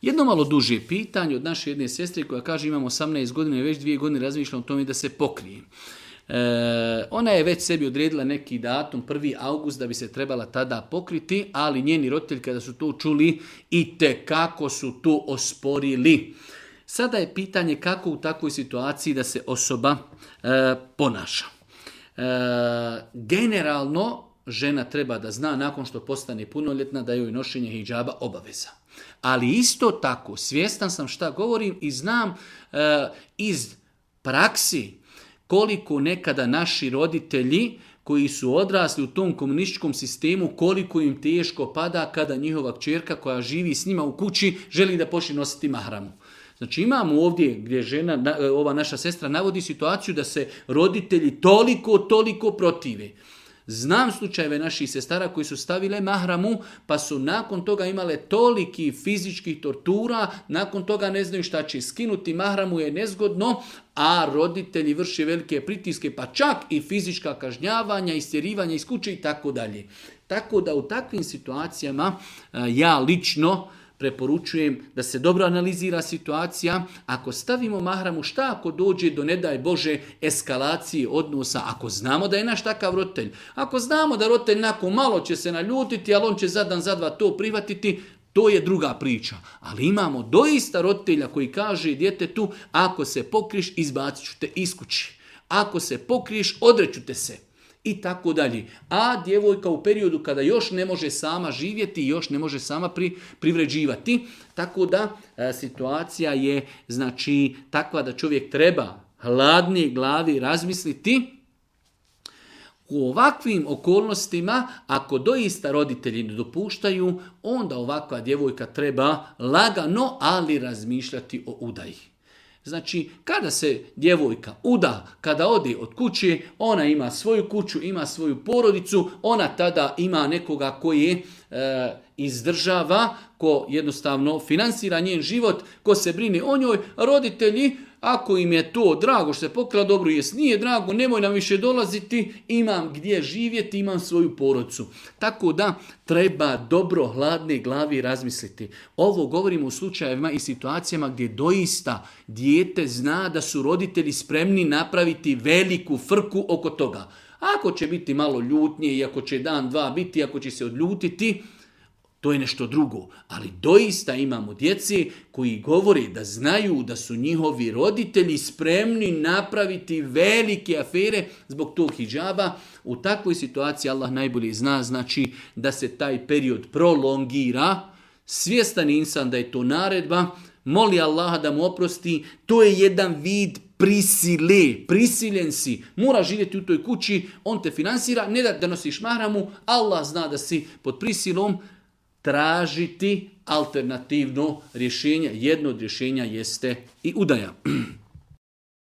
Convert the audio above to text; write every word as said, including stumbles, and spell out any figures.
Jedno malo duže pitanje od naše jedne sestre koja kaže imam osamnaest godina i već dvije godine razmišljam o tome da se pokrijem. E, ona je već sebi odredila neki datum, prvi august, da bi se trebala tada pokriti, ali njeni roditelji kada su to čuli i tekako su to osporili. Sada je pitanje kako u takvoj situaciji da se osoba e, ponaša. E, generalno, žena treba da zna nakon što postane punoljetna da joj nošenje hidžaba obaveza. Ali isto tako, svjestan sam šta govorim i znam e, iz praksi koliko nekada naši roditelji koji su odrasli u tom komunističkom sistemu, koliko im teško pada kada njihova kćerka koja živi s njima u kući želi da počne nositi mahramu. Znači imamo ovdje gdje žena, ova naša sestra navodi situaciju da se roditelji toliko, toliko protive. Znam slučajeve naših sestara koji su stavile mahramu pa su nakon toga imale toliki fizičkih tortura, nakon toga ne znaju šta će skinuti, mahramu je nezgodno, a roditelji vrše velike pritiske pa čak i fizička kažnjavanja, istjerivanja iz kuće i tako dalje. Tako da u takvim situacijama ja lično preporučujem da se dobro analizira situacija. Ako stavimo mahramu, šta ako dođe do, ne daj Bože, eskalacije odnosa, ako znamo da je naš takav roditelj, ako znamo da roditelj nakon malo će se naljutiti, ali on će za dan, za dva to prihvatiti, to je druga priča. Ali imamo doista roditelja koji kaže djetetu, ako se pokriješ, izbacit ću te iz kući. Ako se pokriješ, odreću te se. I tako dalje. A djevojka u periodu kada još ne može sama živjeti i još ne može sama pri, privređivati. Tako da e, situacija je znači takva da čovjek treba hladnije glavi razmisliti. U ovakvim okolnostima, ako doista roditelji ne dopuštaju, onda ovakva djevojka treba lagano, ali razmišljati o udaji. Znači, kada se djevojka uda, kada ode od kuće, ona ima svoju kuću, ima svoju porodicu, ona tada ima nekoga koji je e, izdržava, ko jednostavno finansira njen život, ko se brine o njoj. Roditelji, ako im je to drago što se pokrila, dobro, jes nije drago, nemoj nam više dolaziti, imam gdje živjeti, imam svoju porodicu. Tako da treba dobro hladne glavi razmisliti. Ovo govorimo u slučajevima i situacijama gdje doista dijete zna da su roditelji spremni napraviti veliku frku oko toga. Ako će biti malo ljutnje i ako će dan, dva biti, ako će se odljutiti, to je nešto drugo, ali doista imamo djece koji govore da znaju da su njihovi roditelji spremni napraviti velike afere zbog tog hidžaba. U takvoj situaciji Allah najbolje zna, znači da se taj period prolongira, svjestan insan da je to naredba, moli Allaha da mu oprosti, to je jedan vid prisile, prisiljen si, mora živjeti u toj kući, on te finansira, ne da, da nosiš mahramu, Allah zna da si pod prisilom, tražiti alternativno rješenje. Jedno od rješenja jeste i udaja.